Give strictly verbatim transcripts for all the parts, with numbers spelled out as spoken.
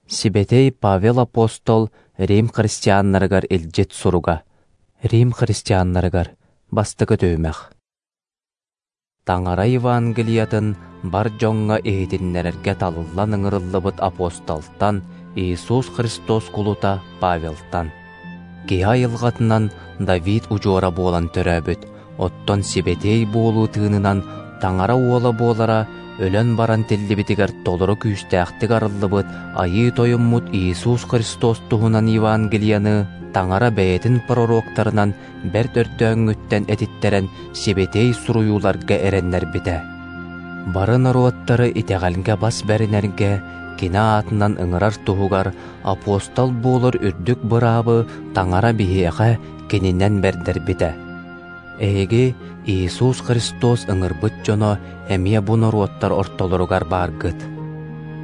Сибэтиэй Павел апостол Рим христианнарыгар илдьит суруга. Рим христианнарыгар бастакы түһүмэх. Таҥара Евангелиятын бар дьоҥҥо иһитиннэрэргэ талыллан ыҥырыллыбыт апостолтан Иисус Христос кулута Павелтан. Киһи айылҕатынан Давид удьуора буолан төрөөбүт, оттон сибэтиэй буолуу тыынынан Таҥара уола буолара өлөн баран тиллибитигэр толору күүстээхтик арыллыбыт Айыы Тойоммут Иисус Христос туһунан Евангелияны Таҥара бэйэтин пророктарынан бэрт өрдөөҥҥүттэн этиттэрэн сибэтиэй суруйууларга эрэннэрбитэ. Бары норуоттары итэҕэлгэ бас бэринэргэ кини аатынан ыҥырар туһугар апостол буолар үрдүк быраабы Таҥара биһиэхэ кининэн бэрдэрбитэ. Эһиги Иисус Христос ыҥырбыт дьоно эмиэ бу норуоттар ортолоругар бааргыт.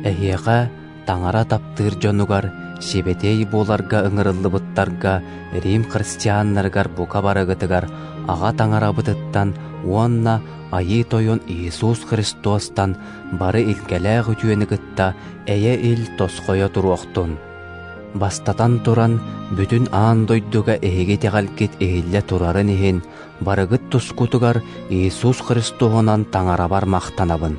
Эһиэхэ Таҥара таптыыр дьонугар, сибэтиэй буоларга ыҥырыллыбыттарга Рим христианнарыгар бука барыгытыгар Аҕа Таҥарабытыттан уонна Айыы Тойон Иисус Христостан бары илгэлээх үтүөнү кытта эйэ-ил тосхойо туруохтун. Бастатан туран, бүтүн аан дойдуга эһиги итэҕэлгит иһиллэ турарын иһин, барыгыт тускутугар Иисус Христоһунан Таҥарабар махтанабын.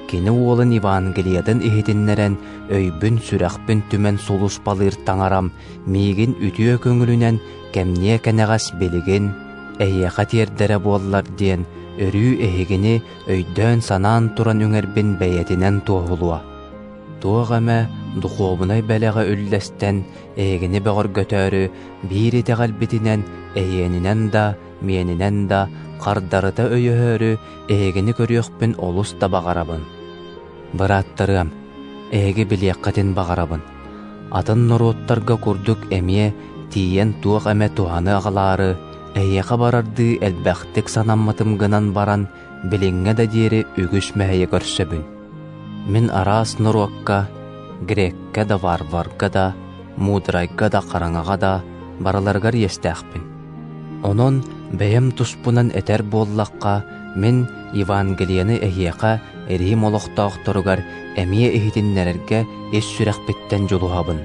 Кини уолун Евангелиятын иһитиннэрэн, өйбүн-сүрэхпин түмэн сулуспалыыр Таҥарам миигин үтүө көҥүлүнэн кэмниэ кэнэҕэс билигин эһиэхэ тиэрдэрэ буоллар диэн, өрүү эһигини өйдөөн-санаан туран үҥэрбин бэйэтинэн туоһулуо. Туох эмэ духуобунай бэлэҕи үллэстэн, эһигини бөҕөргөтөөрү биир итэҕэлбитинэн, эһиэнинэн да, миэнинэн да хардарыта өйөһөөрү эһигини көрүөхпүн олус да баҕарабын. Бырааттарыам, эһиги билиэххитин баҕарабын. Атын норуоттарга курдук эмиэ тиийэн туох эмэ туһаны аҕалаары, эһиэхэ барардыы элбэхтик санаммытым гынан баран, билиҥҥэ да диэри үгүс мэһэйи көрсөбүн. Мин араас норуокка, греккэ да варварга да, мудрайга да хараҥаҕа да барыларыгар иэстээхпин. Онон бэйэм туспунан этэр буоллахха, мин Евангелияны эһиэхэ Рим олохтоохторугар эмиэ иһитиннэрэргэ ис сүрэхпиттэн дьулуһабын.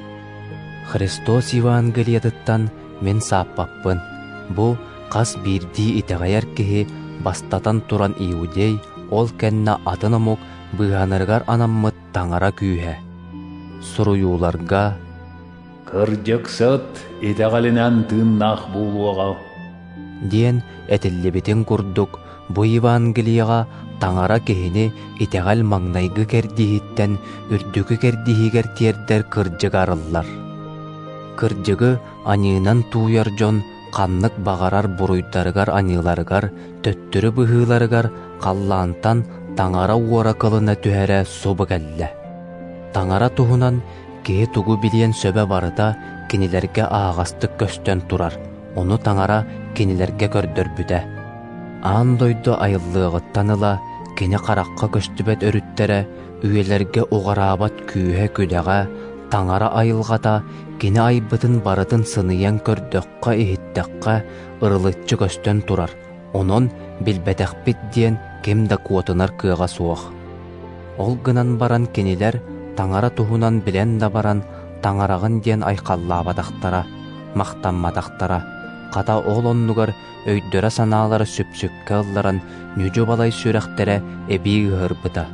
Христос Евангелиятыттан мин сааппаппын. Бу хас биирдии итэҕэйэр киһи бастатан туран иудей, ол кэннэ атын омук быыһанарыгар анаммыт Таҥара күүһэ. Суруйууларга «Кырдьыксыт итэҕэлинэн тыыннаах буолуоҕа» диэн этиллибитин курдук, бу Евангелияҕа Таҥара киһини итэҕэл маҥнайгы кэрдииһиттэн үрдүкү кэрдииһигэр тиэрдэр кырдьык арыллар. Кырдьыгы аньыынан тууйар дьон ханнык баҕарар буруйдарыгар-аньыыларыгар, төттөрү быһыыларыгар халлаантан Таҥара уора кылына түһэрэ субу кэллэ. Таҥара туһунан киһи тугу билиэн сөбө барыта кинилэргэ аһаҕастык көстөн турар, ону Таҥара кинилэргэ көрдөрбүтэ. Аан дойду айыллыаҕыттан ыла кини харахха көстүбэт өрүттэрэ, үйэлэргэ уҕараабат күүһэ-күдэҕэ, Таҥара айылҕата кини айбытын барытын сыныйан көрдөххө-иһиттэххэ ырылыччы көстөн турар, онон билбэтэхпит диэн ким да куотунар кыаҕа суох. Ол гынан баран кинилэр Таҥара туһунан билэн да баран Таҥараҕын диэн айхаллаабатахтара, махтамматахтара, хата ол оннугар өйдөрө-санаалара сүпсүккэ ылларан ньүдьү-балай сүрэхтэрэ эбии ыһырбыта.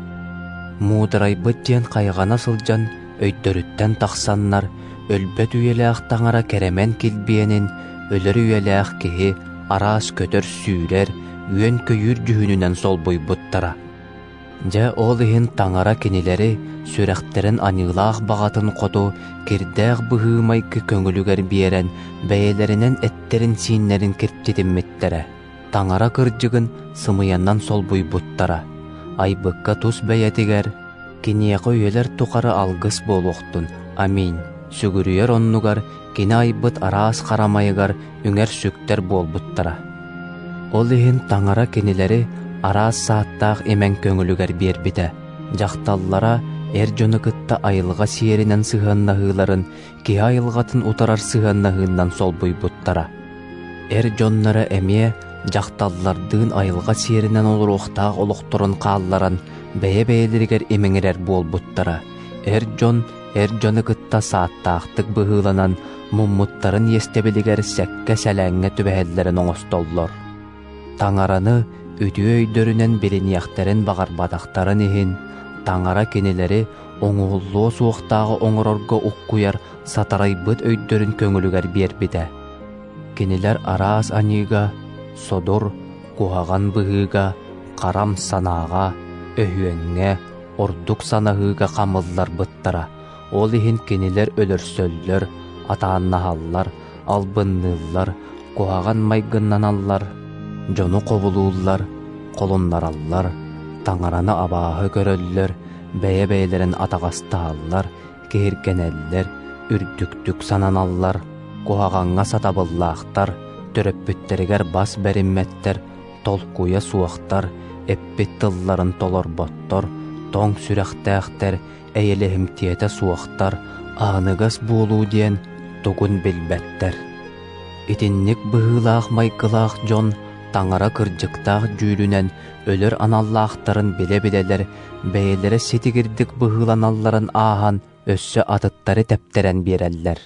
Муударайбыт диэн хайҕана сылдьан өйдөрүттэн тахсаннар, өлбөт үйэлээх Таҥара кэрэмэн килбиэнин, өлөр үйэлээх киһи араас көтөр-сүүрэр, үөн-көйүүр дьүһүнүнэн солбуйбуттара. Дьэ ол иһин Таҥара кинилэри сүрэхтэрин аньыылаах баҕатын хоту кирдээх быһыы-майгы көҥүлүгэр биэрэн, бэйэлэринэн эттэрин-сииннэрин киртитиммиттэрэ. Таҥара кырдьыгын сымыйанан солбуйбуттара. Айбыкка тус бэйэтигэр киниэхэ үйэлэр тухары алгыс буолуохтун, аминь. Сүгүрүйэр оннугар кини айбыт араас харамайыгар үҥэр-сүктэр буолбуттара. Ол иһин Таҥара кинилэри араас сааттаах имэҥ көҥүлүгэр биэрбитэ. Дьахталлара эр дьону кытта айылҕа сиэринэн сыһыаннаһыыларын киһи айылҕатын утарар сыһыаннаһыынан солбуйбуттара. Эр дьонноро эмиэ дьахталлардыын айылҕа сиэринэн олоруохтаах олохторун хаалларан бэйэ-бэйэлэригэр имэҥирэр буолбуттара. Эр дьон Эр дьону кытта сааттаахтык быһыыланан муммуттарын иэстэбилигэр сэккэ-сэлээҥҥэ түбэһэллэрин оҥостоллор. Таҥараны үтүө өйдөрүнэн билиниэхтэрин баҕарбатахтарын иһин, Таҥара кинилэри оҥоһуллуо суохтааҕы оҥорорго уккуйар сатарайбыт өйдөрүн көҥүлүгэр биэрбитэ. Кинилэр араас аньыыга, содур, куһаҕан быһыыга, харам санааҕа, өһүөҥҥэ, ордук санаһыыга хамылларбыттара. Ол иһин кинилэр өлөрсөллөр, атааннаһаллар, албынныыллар, куһаҕан майгыннаналлар, дьону хобулууллар, холуннараллар, Таҥараны абааһы көрөллөр, бэйэ-бэйэлэрин атаҕастаһаллар, киһиргэнэллэр, үрдүктүк сананаллар, куһаҕаҥҥа сатабыллаахтар, төрөппүттэригэр бас бэриммэттэр, толкуйа суохтар, эппит тылларын толорботтор, тоҥ сүрэхтээхтэр, эйэлэһимтиэтэ суохтар, аһыныгас буолуу диэн тугун билбэттэр. Итинник быһыылаах майгылаах дьон Таҥара кырдьыктаах дьүүлүнэн өлөр аналлаахтарын билэ-билэлэр бэйэлэрэ ситигирдик быһыыланалларын ааһан өссө атыттары тэптэрэн биэрэллэр.